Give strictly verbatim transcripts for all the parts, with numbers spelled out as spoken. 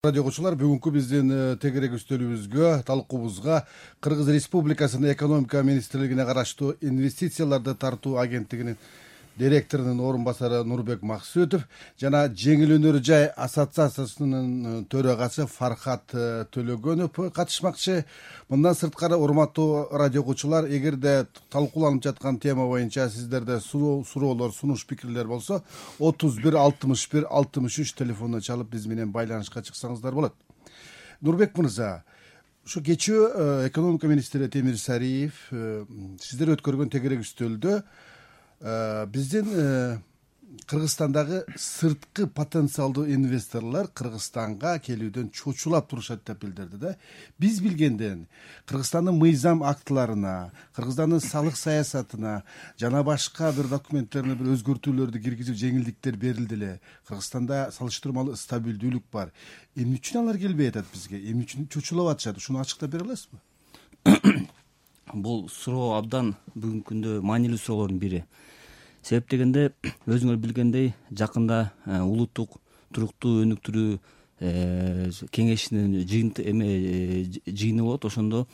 Радио окуучулар, бүгүнкү биздин тегерек үстөлүбүзгө, талкуубузга Кыргыз Республикасынын экономика министрлигине караштуу инвестицияларды тартуу агенттигинин директорунун орун басары Нурбек Максутов жана Жеңил өнөр жай ассоциациясынын төрагасы Фархат Төлөгөнов катышмакчы. Мындан сырткары, урматтуу радио окуучулар, эгерде талкууланып жаткан тема боюнча сиздерде суроолор, сунуш пикирлер болсо, отуз бир алтымыш бир алтымыш үч телефонуна чалып биз менен байланышка чыксаңыздар болот. Нурбек мырза, ушу кечээ экономика министри Темир Сариев сиздер өткөргөн тегерек үстөлдө биздин Кыргызстандагы сырткы потенциалдуу инвесторлор Кыргызстанга келүүдөн чочулап турушат деп билдирди да. Биз билгенден Кыргызстандын мыйзам актыларына, Кыргызстандын салык саясатына жана башка бир документтерине бир өзгөртүүлөрдү киргизип жеңилдиктер берилди эле. Кыргызстанда салыштырмалуу стабилдүүлүк бар. Эмне үчүн алар келбей атат бизге? Эмне үчүн чочулап атышат? Ушуну ачыктап бере аласызбы? Бул суроо абдан бүгүнкү күндө маанилүү суроолордун бири. Себеп дегенде, өзүңөр билгендей, жакында улуттук туруктуу өнүктүрүү кеңешинин жыйыны болот. Ошондо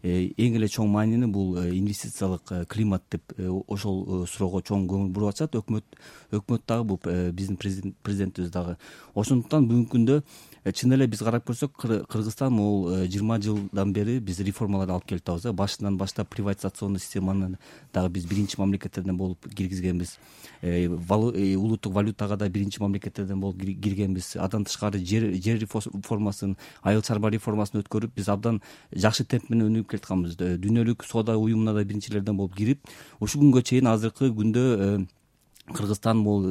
эң эле чоң маанини бул инвестициялык климат деп ошол суроого чоң көңүл буруп атышат. Өкмөт өкмөт дагы, бул биздин президентибиз дагы. Ошондуктан бүгүнкү күндө чын эле биз карап көрсөк, Кыргызстан могул жыйырма жылдан бери биз реформаларды алып келип атабыз. Башынан баштап приватизационный системаны дагы биз биринчи мамлекеттерден болуп киргизгенбиз. Улуттук валютага да биринчи мамлекеттерден болуп киргенбиз. Андан тышкары жер жер реформасын, айыл чарба реформасын өткөрүп, биз абдан жакшы темп менен өнүгүп келатканбыз. Дүйнөлүк соода уюмуна да биринчилерден болуп кирип, ушул күнгө чейин азыркы күндө Кыргызстан бул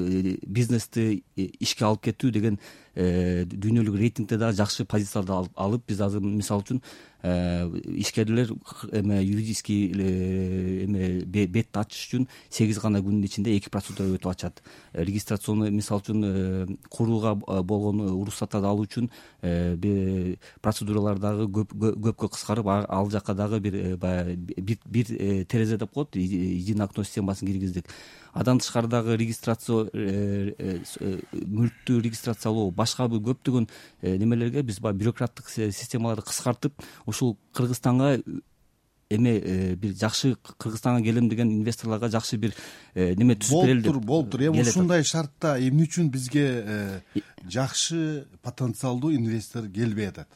бизнести ишке алып кетүү деген дүйнөлүк рейтингде дагы жакшы позицияларды алып, биз азыр мисалы үчүн ишкерлер эме юридический эме бетти ачыш үчүн сегиз гана күндүн ичинде эки процедура өтүп ачат. Регистрационный, мисалы үчүн курууга болгон уруксаттарды алуу үчүн процедуралар дагы көпкө кыскарып, ал жака дагы бир бир терезе деп коет, единое окно системасын киргиздик. Андан тышкары дагы регистрация, мүлктү регистрациялоо, башка бир көптөгөн немелерге биз баягы бюрократтык системаларды кыскартып, ушул Кыргызстанга эме бир жакшы Кыргызстанга келем деген инвесторлорго жакшы бир неме түзүп берели деп. Болуптур, болуптур. Эми ушундай шартта эмне үчүн бизге жакшы потенциалдуу инвестор келбей атат?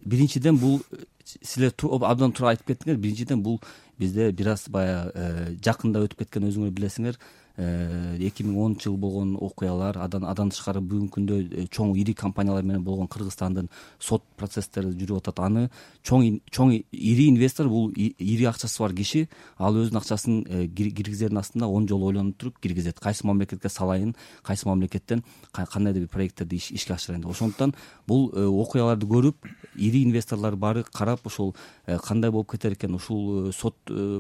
Биринчиден, бул силер абдан туура айтып кеттиңер. Биринчиден, бул бизде бир аз баягы жакында өтүп кеткен, өзүңөр билесиңер, эки миң онунчу жыл болгон окуялар, андан тышкары бүгүнкү күндө чоң ири компаниялар менен болгон Кыргызстандын сот процесстери жүрүп атат. Аны чоң чоң ири инвестор, бул ири акчасы бар киши, ал өзүнүн акчасын киргизердин астында он жолу ойлонуп туруп киргизет. Кайсы мамлекетке салайын, кайсы мамлекеттен кандайдыр бир проекттерди ишке ашырайын деп. Ошондуктан бул окуяларды көрүп, ири инвесторлор баары карап, ушул кандай болуп кетер экен, ушул сот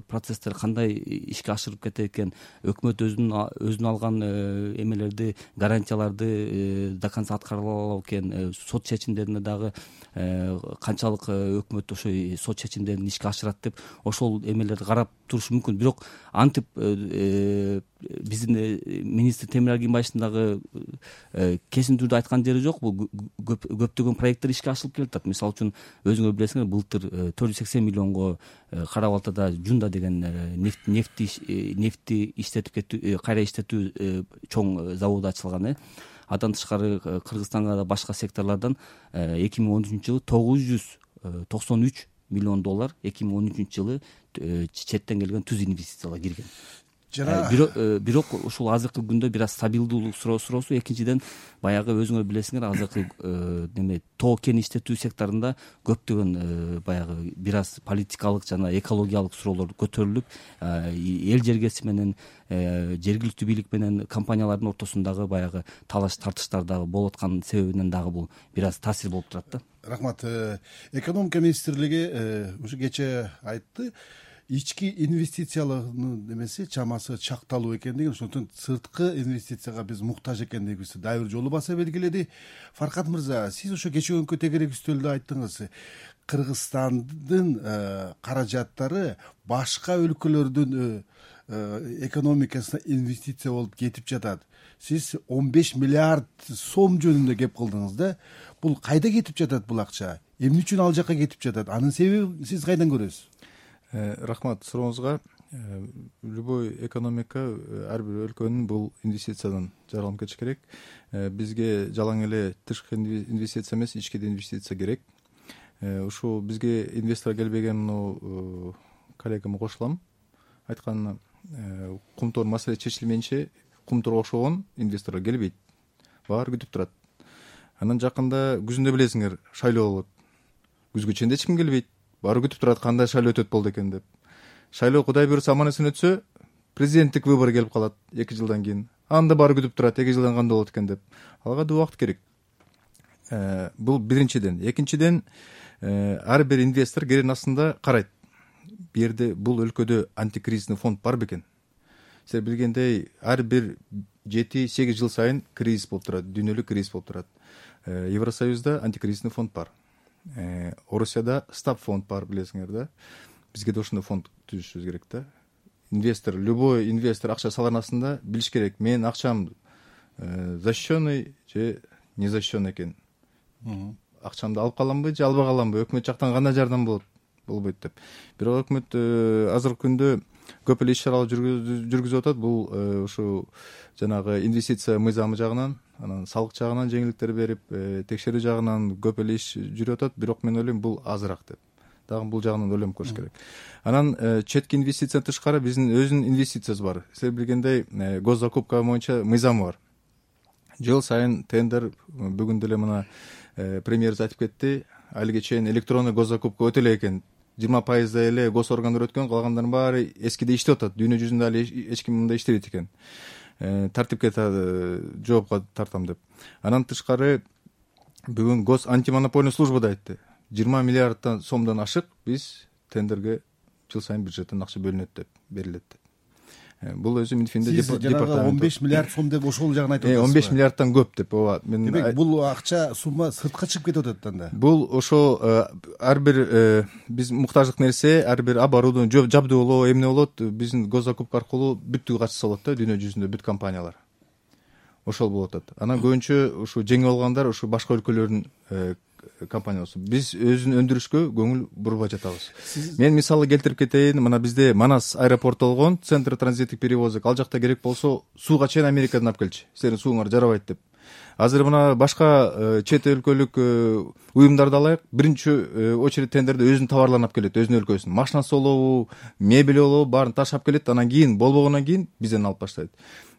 процесстер кандай ишке ашырып кетер экен, өкмөт өзүнүн өзүнө алган эмелерди, гарантияларды до конца аткара алабы экен, сот чечимдерине дагы канчалык өкмөт ошо сот чечимдерин ишке ашырат деп, ошол эмелерди карап туруш мүмкүн. Бирок антип биздин министр Темир Аргимбаевдин дагы кесин түрдө айткан жери жок. Бул көптөгөн проекттер ишке ашырылып келатат. Мисалы үчүн, өзүңөр билесиңер, былтыр төрт жүз сексен миллионго Кара Балтада Жунда деген нефти нефти иштетип кетүү, кайра иштетүү чоң заводу ачылган. Андан тышкары Кыргызстанга да башка секторлордон эки миң он үчүнчү жылы тогуз жүз токсон үч миллион доллар, эки миң он үчүнчү жылы четтен келген түз инвестициялар кирген. Бирок ушул азыркы күндө бир аз стабилдүүлүк суроосу. Экинчиден, баягы өзүңөр билесиңер, азыркы неме тоо кен иштетүү секторунда көптөгөн баягы бир аз политикалык жана экологиялык суроолор көтөрүлүп, эл жергеси менен, жергиликтүү бийлик менен компаниялардын ортосундагы баягы талаш тартыштар дагы болуп аткан себебинен дагы бул бир аз таасир болуп турат да. Рахмат. Экономика министрлиги ушу кечээ айтты, ички инвестициялардын немеси чамасы чакталуу экендигин, ошондуктан сырткы инвестицияга биз муктаж экендигибизди дагы бир жолу баса белгиледи. Фархат мырза, сиз ошо кечээ тегерек үстөлдө айттыңыз, Кыргызстандын каражаттары башка өлкөлөрдүн экономикасына инвестиция болуп кетип жатат. Сиз он беш миллиард сом жөнүндө кеп кылдыңыз да. бул кайда кетип жатат бул акча, эмне үчүн ал жака кетип жатат, анын себебин сиз кайдан көрөсүз? Рахмат сурооңузга. Любой экономика, ар бир өлкөнүн бул инвестициядан жаралым кетиш керек. Бизге жалаң эле тышкы инвестиция эмес, ички инвестиция керек. Ушул бизге инвестор келбеген муну коллегама кошулам. Айтканына, кумтор маселе чечилмейинче кумторго окшогон инвесторлор келбейт. Баары күтүп турат. Анан жакында күзүндө билесиңер, шайлоо болот. Күзгө чейин эч ким келбейт. Баары күтүп турат кандай шайлоо өтөт болду экен деп. Шайлоо Кудай буйрса аман эсен өтсө, президенттик выбор келип калат эки жылдан кийин. Анда баары күтүп турат эки жылдан кандай болот экен деп. Алга да убакыт керек. Бул биринчиден. Экинчиден, ар бир инвестор керен астында карайт. Бу жерде бул өлкөдө антикризисный фонд бар бекен? Силер билгендей, ар бир жети сегиз жыл сайын кризис болуп турат, дүйнөлүк кризис болуп турат. Евросоюзда антикризисный фонд бар. Орусияда стаб фонд бар, билесиңер да. Бизге да ошондой фонд түзүшүбүз керек да. Инвестор, любой инвестор акча салган астында билиш керек, менин акчам защищенный же не защищенный экен. Акчамды алып каламбы же албай каламбы, өкмөт жактан кандай жардам болот, болбойт деп. Бирок өкмөт азыркы күндө көп эле иш чаралар жүргүзүп атат. Бул ушу жанагы инвестиция мыйзамы жагынан, анан салык жагынан жеңилдиктер берип, текшерүү жагынан көп эле иш жүрүп атат. Бирок мен ойлойм, бул азыраак деп. Дагы бул жагынан ойлонуп көрүш керек. Анан четки инвестициядан тышкары биздин өзүнүн инвестициябыз бар. Силер билгендей, госзакупка боюнча мыйзамы бар. Жыл сайын тендер, бүгүн деле мына премьерибиз айтып кетти, алиге чейин электронный госзакупка өтө эле экен. жыйырма пайыздай эле гос органдар өткөн, калгандардын баары эскиде иштеп атат. Дүйнө жүзүндө али эч ким мындай иштебейт экен. Тартипке жоопко тартам деп. Анан тышкары бүгүн гос антимонопольный служба да айтты. жыйырма миллиарддан сомдон ашык биз тендерге жыл сайын бюджеттен акча бөлүнөт деп, берилет деп. Бул өзү Минфинде департамент он беш миллиард сом деп ошол жагын айтып атасыз. он беш миллиарддан көп деп. Ооба. Мен демек бул акча сумма сыртка чыгып кетип атат анда. Бул ошол ар бир биз муктаждык нерсе, ар бир оборудование, жабдуулоо, эмне болот, биздин госзакупка аркылуу бүттүгү качса болот да, дүйнө жүзүндө бүт компаниялар. Ошол болуп атат. Анан көбүнчө ушу жеңип алгандар ушу башка өлкөлөрдүн компаниясы. Биз өзүн өндүрүшкө көңүл бурбай жатабыз. Мен мисалы келтирип кетейин. Мына бизде Манас аэропорту болгон, центр транзиттик перевозок. Ал жакта керек болсо сууга чейин Америкадан алып келчү. Силердин сууңар жарабайт деп. Азыр мына башка чет өлкөлүк уюмдарды алайык. Биринчи очередь тендерде өзүнүн товарларын алып келет, өзүнүн өлкөсүнүн. Машинасы болобу, мебель болобу, баарын ташап келет. Анан кийин болбогондон кийин бизден алып баштайт.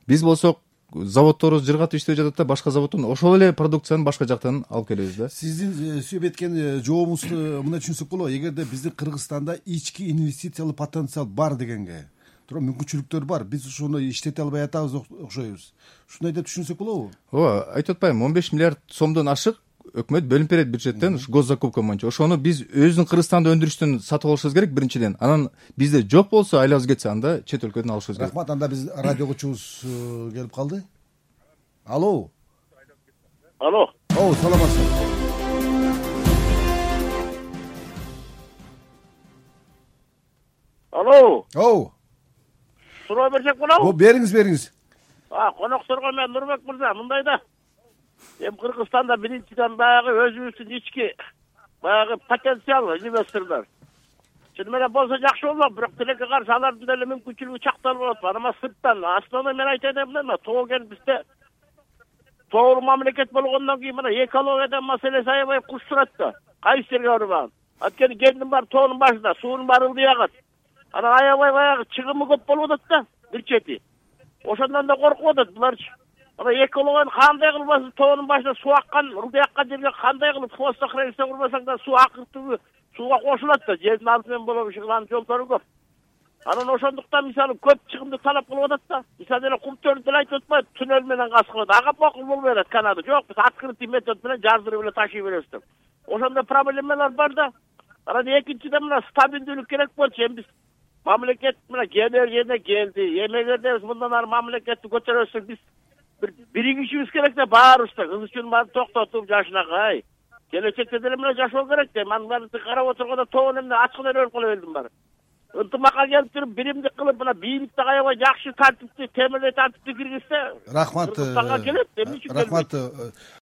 Биз болсок заводторубуз жыргатып иштеп жатат да, башка заводдон ошол эле продукцияны башка жактан алып келебиз да. Сиздин сөйлөп кеткен жообуңузду мындай түшүнсөк болобу? Эгерде биздин Кыргызстанда ички инвестициялык потенциал бар дегенге, туура мүмкүнчүлүктөр бар. Биз ошону иштете албай атабыз окшойбуз. Ушундай деп түшүнсөк болобу? Ооба, айтып атпаймынбы, он беш миллиард сомдон ашык өкмөт бөлүнүп берет бюджеттен госзакупка боюнча. Ошону биз өзүнүн Кыргызстанда өндүрүштөн сатып алышыбыз керек биринчиден. Анан бизде жок болсо, айлабыз кетсе, анда чет өлкөдөн алышыбыз керек. Рахмат. Анда биз радиогучубуз келип калды. Алло. Алло. О, саламатсызбы? Алло. О. Суроо берсек болобу? О, бериңиз, бериңиз. А, конокторго мен Нурбек мырза, мындай да. Эми Кыргызстанда биринчиден баягы өзүбүздүн ички баягы потенциал инвесторлор. Чын менен болсо жакшы болмок, бирок тилекке каршы алардын деле мүмкүнчүлүгү чакталып болот. Анан сырттан основной мен айтайын эмне, тоо кен бизде тоолуу мамлекет болгондон кийин мына экологиядан маселеси аябай куш турат да. Кайсы жерге барбаган. Анткени кендин баары тоонун башында, суунун баары ылдый агат. Анан аябай баягы чыгымы көп болуп атат да, бир чети. Ошондон да коркуп атат буларчы. Ана экологияны кандай кылбасыз, тоонун башында суу аккан, ылдый аккан жерге кандай кылып фосфохранилище курбасаң да суу акыртуу сууга кошулат да, жердин алты менен болобу ушуган жолдору көп. Анан ошондуктан мисалы көп чыгымды талап кылып атат да. Мисалы эле кумтөрдү деле айтып атпайбы, туннель менен каскылат. Ага макул болбой атат канады. Жок, биз открытый метод менен жаздырып эле ташый беребиз деп. Ошондой проблемалар бар да. Анан экинчиден мына стабилдүүлүк керек болчу. Эми биз мамлекет мына кенер жерине келди. Эмегерде биз мындан ары мамлекетти көтөрөсөк, биз бир биригишибиз керек да, баарыбызда. Кыз үчүн баарын токтотуп жашынакай. Келечекте деле мына жашоо керек да. Мен баарды карап отурганда тоон эмне ачкын эле өлүп кала бердим баары. Ынтымакка келип туруп, биримдик кылып, мына бийликти аябай жакшы тартипти, темирлей тартипти киргизсе, рахмат. Кыргызстанга келет, эмне үчүн келбейт? Рахмат.